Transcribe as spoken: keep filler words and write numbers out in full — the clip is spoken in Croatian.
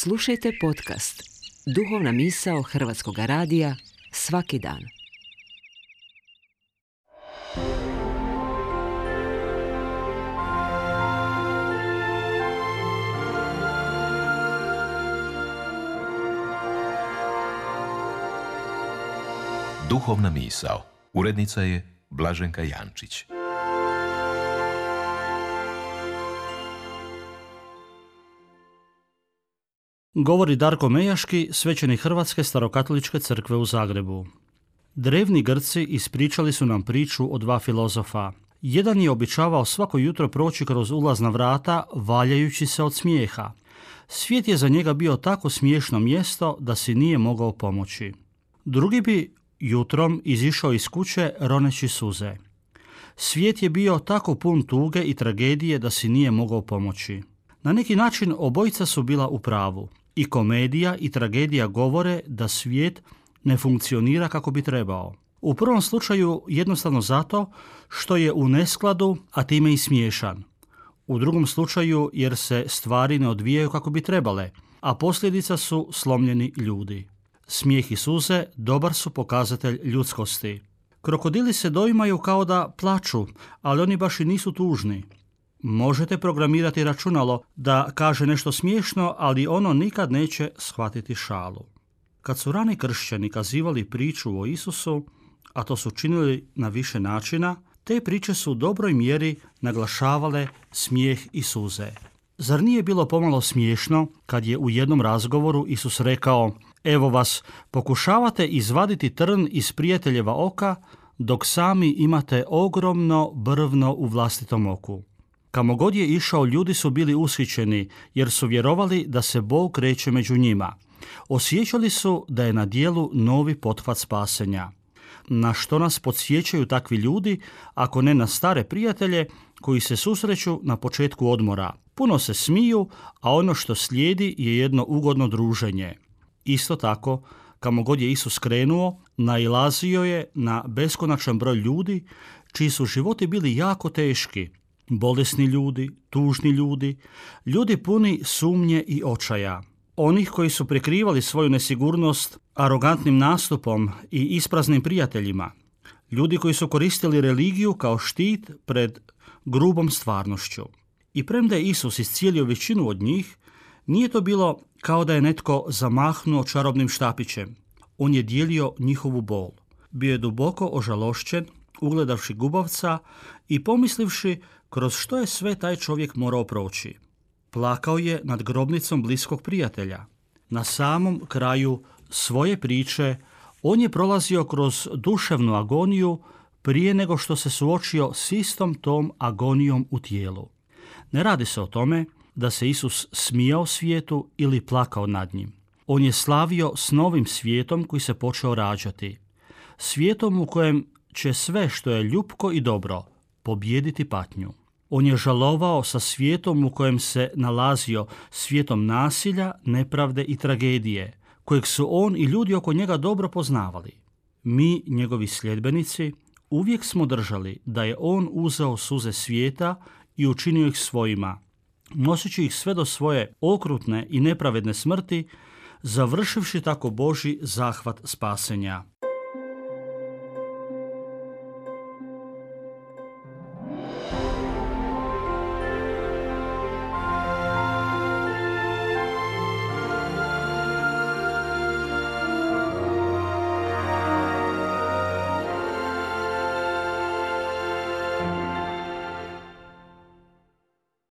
Slušajte podcast Duhovna misao Hrvatskog radija svaki dan. Duhovna misao. Urednica je Blaženka Jančić. Govori Darko Mejaški, svećenik Hrvatske starokatoličke crkve u Zagrebu. Drevni Grci ispričali su nam priču o dva filozofa. Jedan je običavao svako jutro proći kroz ulazna vrata, valjajući se od smijeha. Svijet je za njega bio tako smiješno mjesto da si nije mogao pomoći. Drugi bi jutrom izišao iz kuće roneći suze. Svijet je bio tako pun tuge i tragedije da si nije mogao pomoći. Na neki način obojica su bila u pravu. I komedija i tragedija govore da svijet ne funkcionira kako bi trebao. U prvom slučaju jednostavno zato što je u neskladu, a time i smiješan. U drugom slučaju jer se stvari ne odvijaju kako bi trebale, a posljedica su slomljeni ljudi. Smijeh i suze dobar su pokazatelj ljudskosti. Krokodili se doimaju kao da plaču, ali oni baš i nisu tužni. Možete programirati računalo da kaže nešto smiješno, ali ono nikad neće shvatiti šalu. Kad su rani kršćani kazivali priču o Isusu, a to su činili na više načina, te priče su u dobroj mjeri naglašavale smijeh i suze. Zar nije bilo pomalo smiješno kad je u jednom razgovoru Isus rekao: evo vas, pokušavate izvaditi trn iz prijateljeva oka, dok sami imate ogromno brvno u vlastitom oku. Kamo god je išao, ljudi su bili ushićeni jer su vjerovali da se Bog kreće među njima. Osjećali su da je na dijelu novi pothvat spasenja. Na što nas podsjećaju takvi ljudi, ako ne na stare prijatelje koji se susreću na početku odmora. Puno se smiju, a ono što slijedi je jedno ugodno druženje. Isto tako, kamo god je Isus krenuo, nailazio je na beskonačan broj ljudi čiji su životi bili jako teški. Bolesni ljudi, tužni ljudi, ljudi puni sumnje i očaja. Onih koji su prikrivali svoju nesigurnost arogantnim nastupom i ispraznim prijateljima. Ljudi koji su koristili religiju kao štit pred grubom stvarnošću. I premda je Isus iscijelio većinu od njih, nije to bilo kao da je netko zamahnuo čarobnim štapićem. On je dijelio njihovu bol. Bio je duboko ožalošćen, ugledavši gubavca i pomislivši kroz što je sve taj čovjek morao proći. Plakao je nad grobnicom bliskog prijatelja. Na samom kraju svoje priče on je prolazio kroz duševnu agoniju prije nego što se suočio s istom tom agonijom u tijelu. Ne radi se o tome da se Isus smijao svijetu ili plakao nad njim. On je slavio s novim svijetom koji se počeo rađati. Svijetom u kojem će sve što je ljupko i dobro pobijediti patnju. On je žalovao sa svijetom u kojem se nalazio, svijetom nasilja, nepravde i tragedije, kojeg su on i ljudi oko njega dobro poznavali. Mi, njegovi sljedbenici, uvijek smo držali da je on uzeo suze svijeta i učinio ih svojima, noseći ih sve do svoje okrutne i nepravedne smrti, završivši tako Božji zahvat spasenja.